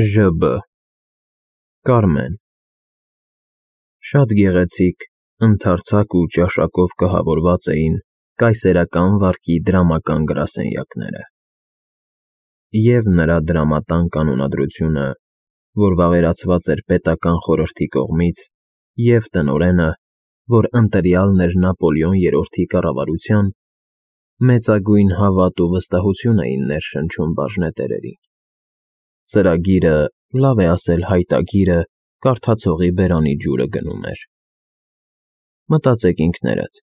ԺԲ Կարմեն Շատ գեղեցիկ, ընդարձակ ու ճաշակով կահավորված էին կայսերական վարկի դրամական գրասենյակները, և նրա դրամատան կանոնադրությունը, որ վավերացված էր պետական խորհրդի կողմից, և տնօրենը, որ ընտրյալն էր Նապոլեոն III-ի կառավարության, մեծագույն հավատ ու վստահություն էին ներշնչում բաժնետերերին։ Ծրագիրը, լավ է ասել հայտագիրը, կարդացողի բերանի ջուրը գնում էր։ Մտածեք ինքներդ,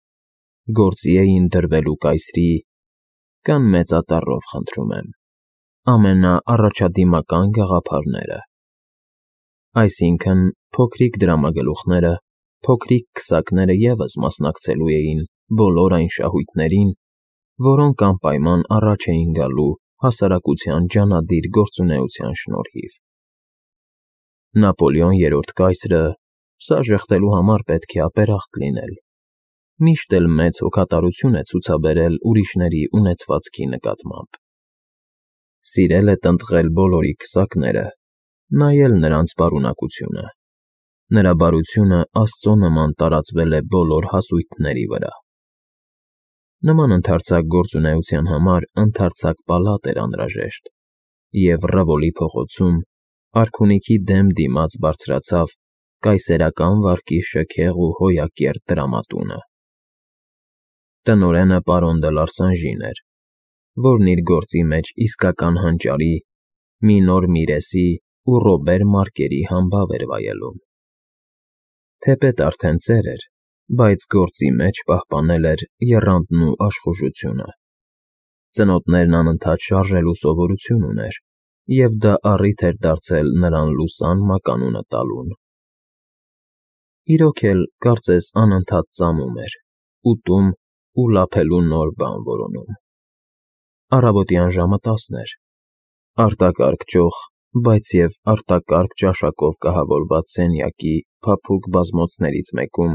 գործի էին դրվելու կայսրի կամ մեծատառով խնդրում եմ, ամենաառաջադիմական գաղափարները, այսինքն փոքրիկ դրամագլուխները, փոքրիկ քսակները ևս մասնակցելու էին բոլոր այն շահույթներին, որոնք անպայման առաջ էին գալու հասարակության ջանադիր գործունեության շնորհիվ։ Նապոլեոն III կայսրը սա ժխտելու համար պետք է ապերախտ լինել, միշտ էլ մեծ հոգատարություն է ցուցաբերել ուրիշների ունեցվածքի նկատմամբ։ Սիրել է տնտղել բոլորի քսակները, նայել նրանց բարունակությունը։ Նրա բարությունը Աստծո նման տարածվել է բոլոր հասույթների վրա։ Նման ընդարձակ գործունեության համար ընդարձակ պալատ էր անհրաժեշտ, և Ռևոլի փողոցում, արքունիքի դեմ դիմաց բարձրացավ կայսերական վարկի շքեղ ու հոյակերտ դրամատունը։ Տնօրենը պարոն դը Լարսանժին էր, որն իր գործի մեջ իսկական հանճարի, մինոր Միրեսի ու Ռոբեր Մարկերի համբավ էր վայելում։ Թեպետ արդեն ծեր էր, բայց գործի մեջ պահպանել էր եռանդն ու աշխուժությունը։ Ծնոտներն անընդհատ շարժելու սովորություն ուներ, և դա առիթ էր դարձել նրան լուսան մականունը տալուն։ Իրոք էլ, կարծես անընդհատ ծամում էր, ուտում ու լափելու նոր բան որոնում։ Առավոտյան ժամը 10 էր, արտակարգ ճոխ, բայց և արտակարգ ճաշակով կահավորված սենյակի փափուկ բազմոցներից մեկում,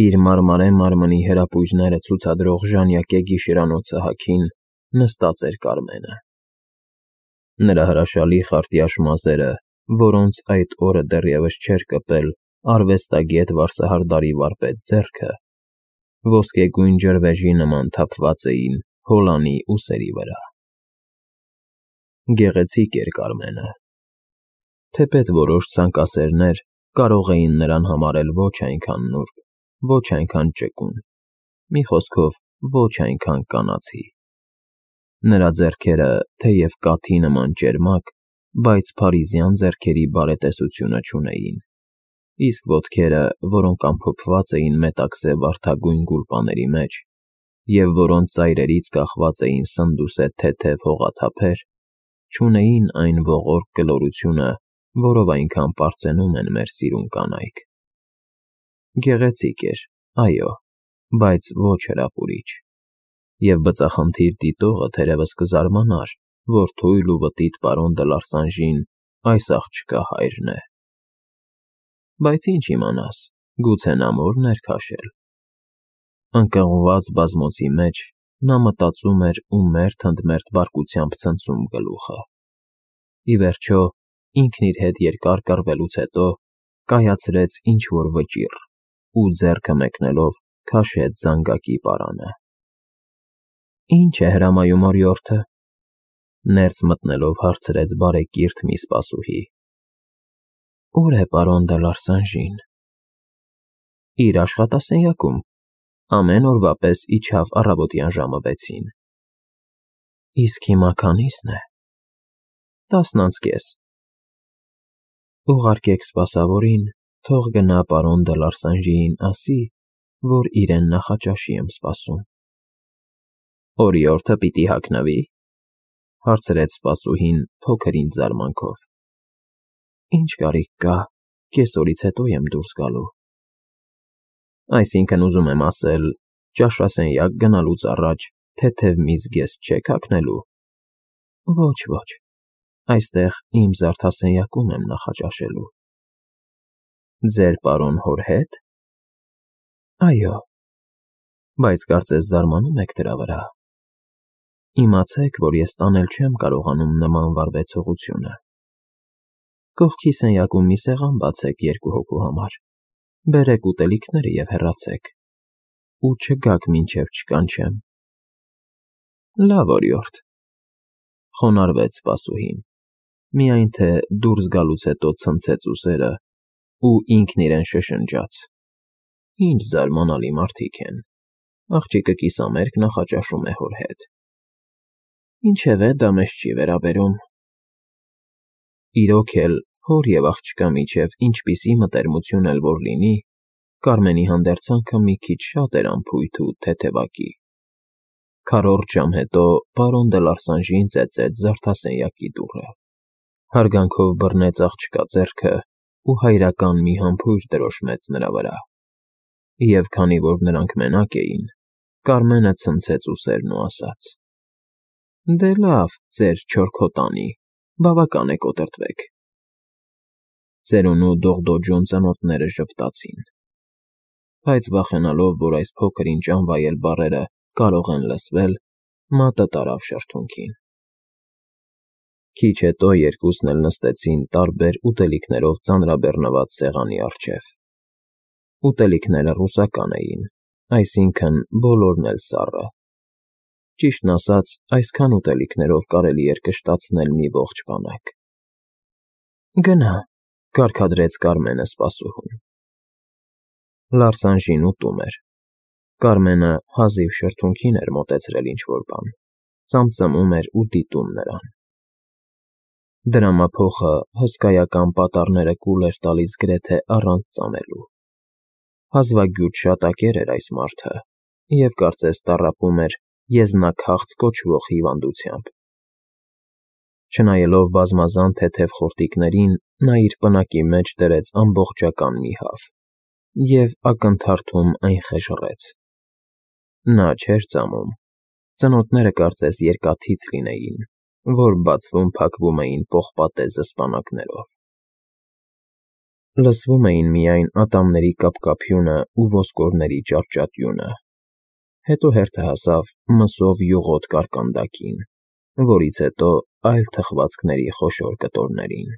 իր մարմարե մարմնի հրապույրները ցուցադրող ժանյակե գիշերանոցը հագին, նստած էր Կարմենը։ Նրա հրաշալի խարտյաշ մազերը, որոնց այդ օրը դեռևս չէր կպել արվեստագետ վարսահարդարի վարպետ ձեռքը, ոսկեգույն ջրվեժի նման թափված էին հոլանի ուսերի վրա։ Գեղեցիկ էր Կարմենը, թեպետ որոշ ցանկասերներ կարող էին նրան համարել ոչ այնքան նուրբ, ոչ այնքան ճկուն, մի խոսքով, ոչ այնքան կանացի։ Նրա ձեռքերը, թեև կաթի նման ճերմակ, բայց փարիզյան ձեռքերի բարետեսությունը չունեին, իսկ ոտքերը, որոնք ամփոփված էին մետաքսե վարդագույն գուլպաների մեջ, և որոնց ծայրերից կախված էին սնդուսե թեթև հողաթափեր, չունեին այն ողորկ կլորությունը, որով այնքան պարծենում են մեր սիրուն կանայք։ Գեղեցիկ էր, այո, բայց ոչ հրապուրիչ, և բծախնդիր դիտողը թերևս կզարմանար, որ թույլ ու վտիտ պարոն դը Լարսանժին այս աղջկա հայրն է։ Բայց ինչ իմանաս, գուցե նա մորն էր քաշել։ Ընկղմված բազմոցի մեջ նա մտածում էր ու մերթ-ընդմերթ բարկությամբ ցնցում գլուխը։ Ի վերջո, ինքն իր հետ երկար կռվելուց հետո կայացրեց ինչ֊որ վճիռ ու ձեռքը մեկնելով քաշեց զանգակի պարանը։ Ի՞նչ է հրամայում օրիորդը,֊ ներս մտնելով հարցրեց բարեկիրթ մի սպասուհի։ Ո՞ւր է պարոն դը Լարսանժին։ Իր աշխատասենյակում, ամեն օրվա պես իջավ առավոտյան ժամը 6-ին։ Իսկ հիմա քանի՞սն է։ 10:30։ Ուղարկեք սպասավորին, թող գնա պարոն դը Լարսանժիին ասի, որ իրեն նախաճաշի եմ սպասում։ Օրիորդը պիտի հագնվի՞, հարցրեց սպասուհին փոքր-ինչ զարմանքով։ Ինչ կարիք կա, կեսօրից հետո եմ դուրս գալու։ Այսինքն ուզում եմ ասել, ճաշասենյակ գնալուց առաջ թեթև մի զգեստ չեք հագնելու։ Ոչ, այստեղ իմ զարդասենյակում եմ նախաճաշելու։ Ձեր պարոն հոր հետ։ Այո, բայց կարծես զարմանում եք դրա վրա։ Իմացեք, որ ես տանել չեմ կարողանում նման վարվեցողությունը։ Կողքի սենյակում մի սեղան բացեք 2 հոգու համար, բերեք ուտելիքները և հեռացեք, ու չգաք մինչև չկանչեմ։ Լավ օրիորդ, խոնարհվեց սպասուհին, միայն թե դուրս գալուց հետո ցնցեց ուսերը ու ինքն իրեն շշնջաց. Ինչ զարմանալի մարդիկ են, աղջիկը կիսամերկ նախաճաշում է հոր հետ։ Ինչևէ, դա մեզ չի վերաբերում։ Իրոք էլ, հոր և աղջկա միջև ինչպիսի մտերմություն էլ որ լինի, Կարմենի հանդերձանքը մի քիչ շատ էր անփույթ ու թեթևակի։ Քառորդ ժամ հետո պարոն դե Լարսանժին ծեծեց զարդասենյակի դուռը, հարգանքով բռնեց աղջկա ձեռքը ու հայրական մի համբույր դրոշմեց նրա վրա, և քանի որ նրանք մենակ էին, Կարմենը ցնցեց ուսերն ու ասաց. Դե լավ, ձեր չոր քոտանի, բավական է կոտրտվեք։ Ծերունու դողդոջուն ծնոտները ժպտացին, բայց վախենալով, որ այս փոքր ինչ անվայել բառերը կարող են լսվել, մատը տարավ շրթունքին։ Քիչ հետո երկուսն էլ նստեցին տարբեր ուտելիքներով ծանրաբեռնված սեղանի առջև։ Ուտելիքները ռուսական էին, այսինքն բոլորն էլ սառը։ Ճիշտն ասած, այսքան ուտելիքներով կարելի էր կշտացնել մի ողջ բանակ։ Գնա, կարգադրեց Կարմենը սպասուհուն։ Լարսանժին ուտում էր։ Կարմենը հազիվ շրթունքին էր մոտեցրել ինչ-որ բան, ծամծմում էր ու դիտում նրան։ Դրամափոխը հսկայական պատառները կուլ էր տալիս գրեթե առանց ծամելու։ Հազվագյուտ շատակեր էր այս մարդը և կարծես տառապում էր եզնաքաղց կոչվող հիվանդությամբ։ Չնայելով բազմազան թեթև խորտիկներին, նա իր պնակի մեջ դրեց ամբողջական մի հավ և ակնթարթում այն խժռեց։ Նա չէր ծամում, ծնոտները կարծես երկաթից լինեին, որ բացվում-փակվում էին պողպատե զսպանակներով։ Լսվում էին միայն ատամների կապկապյունը ու ոսկորների ճարճատյունը, հետո հերթը հասավ մսով յուղոտ կարկանդակին, որից հետո այլ թխվածքների խոշոր կտորներին։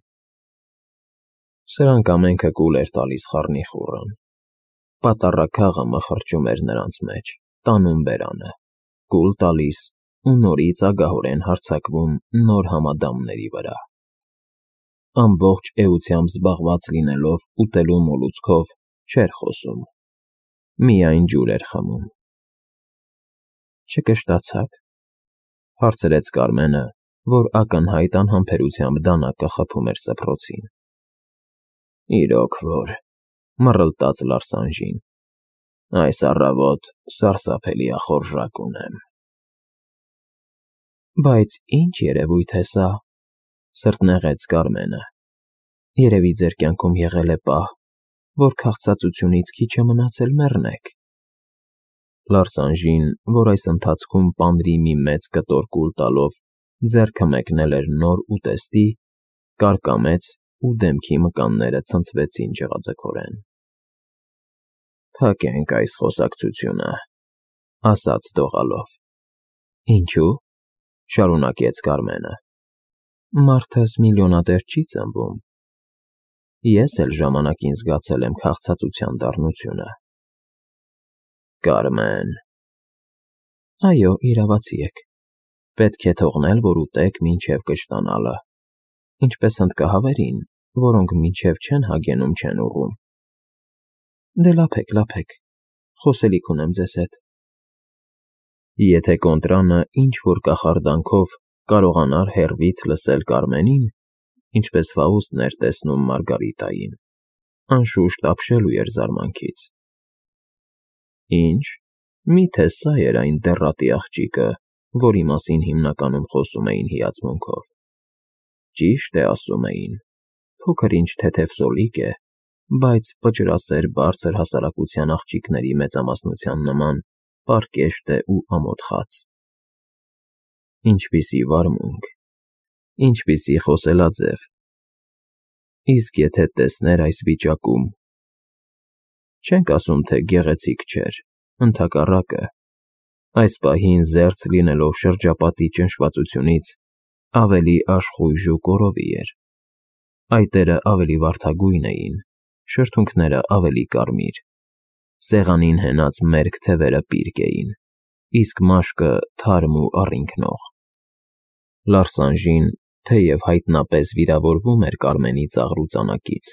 Սրանք ամենքը կուլ էր տալիս խառնիխուռն։ Պատառաքաղը մխրճում էր նրանց մեջ, տանում բերանը, կուլ տալիս ու նորից ագահորեն հարձակվում նոր համադամների վրա։ Ամբողջ էությամբ զբաղված լինելով ուտելու մոլուցքով չէր խոսում, միայն ջուր էր խմում։ Չկշտացա՞ք, հարցրեց Կարմենը, որ ակնհայտ անհամբերությամբ դանակը խփում էր սփռոցին։ Իրոք որ, մռլտաց Լարսանժին, այս առավոտ սարսափելի ախորժակ ունեմ։ Բայց ինչ երևույթ է սա, սրտնեղեց Կարմենը։ Երևի ձեր կյանքում եղել է պահ, որ քաղցածությունից քիչ է մնացել մեռնեք։ Լարսանժին, որ այս ընթացքում պանրի մի մեծ կտոր կուլ տալով ձեռքը մեկնել էր նոր ուտեստի, կարկամեց ու դեմքի մկանները ցնցվեցին ջղաձգորեն։ Փակենք այս խոսակցությունը, ասաց դողալով։ Ինչու՞, շարունակեց Կարմենը։ Մարդս միլիոնատեր չի ծնվում։ Ես էլ ժամանակին զգացել եմ քաղցածության դառնությունը։ Կարմեն։ Այո, իրավացի եք։ Պետք է թողնել, որ ուտեք մինչև կշտանալը, ինչպես հնդկահավերին, որոնք մինչև չեն հագենում չեն ուռում։ Դե լափեք, խոսելիք ունեմ ձեզ հետ։ Եթե կոնտրանը ինչ-որ կախարդանքով կարողանար հեռվից լսել Կարմենին, ինչպես Ֆաուստն էր տեսնում Մարգարիտային, անշուշտ ապշելու էր զարմանքից։ Ինչ, միթե սա էր այն դեռատի աղջիկը, որի մասին հիմնականում խոսում էին հիացմունքով։ Ճիշտ է ասում էին, փոքր-ինչ թեթև սոլիկ է, բայց պճրասեր բարձր հասարակության աղջիկների մեծամասնության նման պարկեշտ է ու ամոթխած։ Ինչպիսի վարմունք, ինչպիսի խոսելաձև։ Իսկ եթե տեսներ այս վիճակում… Չենք ասում, թե գեղեցիկ չէր, ընդհակառակը, այս պահին զերծ լինելով շրջապատի ճնշվածությունից, ավելի աշխույժ ու կորովի էր։ Այտերը ավելի վարդագույն էին, շրթունքները ավելի կարմիր, սեղանին հենած մերկ թևերը պիրկ էին, իսկ մաշկը թարմ ու առինքնող։ Լարսանժին, թեև հայտնապես վիրավորվում էր Կարմենի ծաղրու ծանակից,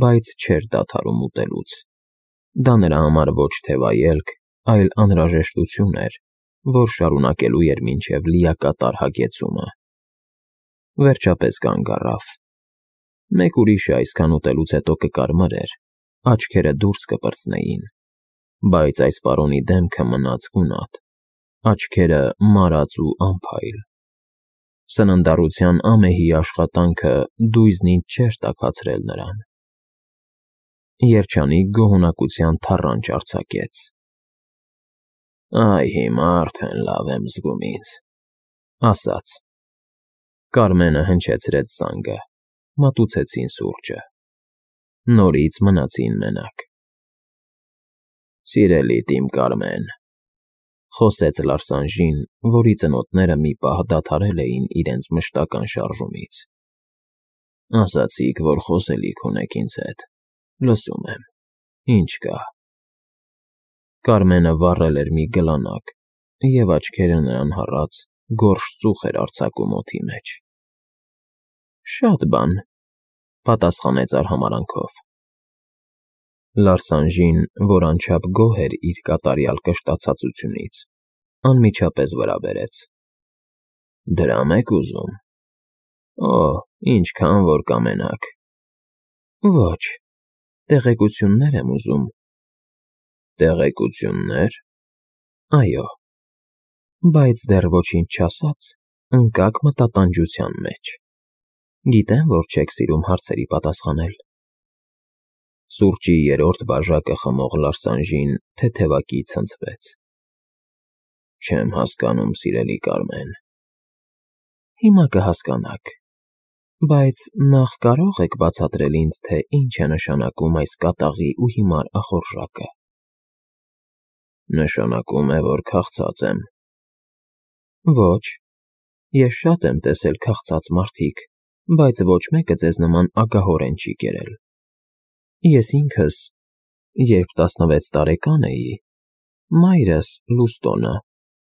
բայց չէր դադարում ուտելուց։ Դա նրա համար ոչ թե վայելք, այլ անհրաժեշտություն էր, որ շարունակելու էր մինչև լիակատար հագեցումը։ Վերջապես կանգ առավ։ Մեկ ուրիշը այսքան ուտելուց հետո կկարմրեր, աչքերը դուրս կպրծնեին, բայց այս պարոնի դեմքը մնաց գունատ, աչքերը մարած ու անփայլ։ Սննդառության ամեհի աշխատանքը դույզն ինձ չէր տաքացրել նրան։ Երջանիկ գոհունակության թառանչ արձակեց. «Այ հիմա արդեն լավ եմ զգում ինձ», ասաց։ Կարմենը հնչեցրեց զանգը, մատուցեցին սուրճը։ Նորից մնացին մենակ։ «Սիրելիդ իմ Կարմեն», խոսեց Լարսանժին, որի ծնոտները մի պահ դադարել էին իրենց մշտական շարժումից։ «Ասացիք, որ խոսելիք ունեք ինձ հետ։ Լսում եմ, ինչ կա»։ Կարմենը վառել էր մի գլանակ, և աչքերը նրան հառած գորշ ծուխ էր արձակում օդի մեջ։ «Շատ բան», պատասխանեց արհամարանքով։ Լարսանժին, որ անչափ գոհ էր իր կատարյալ կշտացածությունից, անմիջապես վրա բերեց. «Դրամ եք ուզում։ Օ, ինչքան որ կամենաք»։ «Ոչ, տեղեկություններ եմ ուզում»։ «Տեղեկություններ»։ Այո, բայց դեռ ոչինչ չասած, ընկաք մտատանջության մեջ։ Գիտեմ, որ չեք սիրում հարցերի պատասխանել։ Սուրճի երրորդ բաժակը խմող Լարսանժին թեթևակի ցնցվեց։ Չեմ հասկանում, սիրելի Կարմեն։ Հիմա կհասկանաք, բայց նախ կարող եք բացատրել ինձ, թե ինչ է նշանակում այս կատաղի ու հիմար ախորժակը։ Նշանակում է, որ քաղցած եմ։ Ոչ, ես շատ եմ տեսել քաղցած մարդիկ, բայց ոչ մեկը ձեզ նման ագահորեն չի կերել։ Ես ինքս, երբ 16 տարեկան էի, մայրս, Լուստոնը,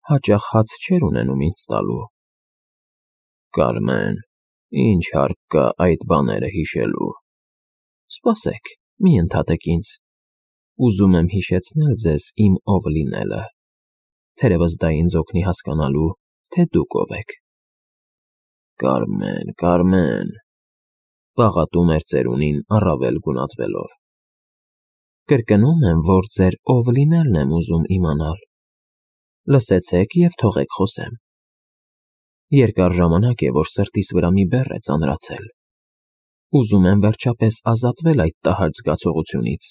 հաճախ հաց չէր ունենում ինձ տալու։ Կարմեն, ինչ հարկ կա այդ բաները հիշելու։ Սպասեք, մի ընդհատեք ինձ։ Ուզում եմ հիշեցնել ձեզ իմ ով լինելը, թերևս դա ինձ օգնի հասկանալու, թե դուք ով եք։ Կարմեն, Կարմեն, պաղատում էր ծերունին առավել գունատվելով։ Կրկնում եմ, որ ձեր ով լինելն եմ ուզում իմանալ։ Լսեցեք և թողեք խոսեմ։ Երկար ժամանակ է, որ սրտիս վրա մի բեռ է ծանրացել։ Ուզում եմ վերջապես ազատվել այդ տհաճ զգացողությունից։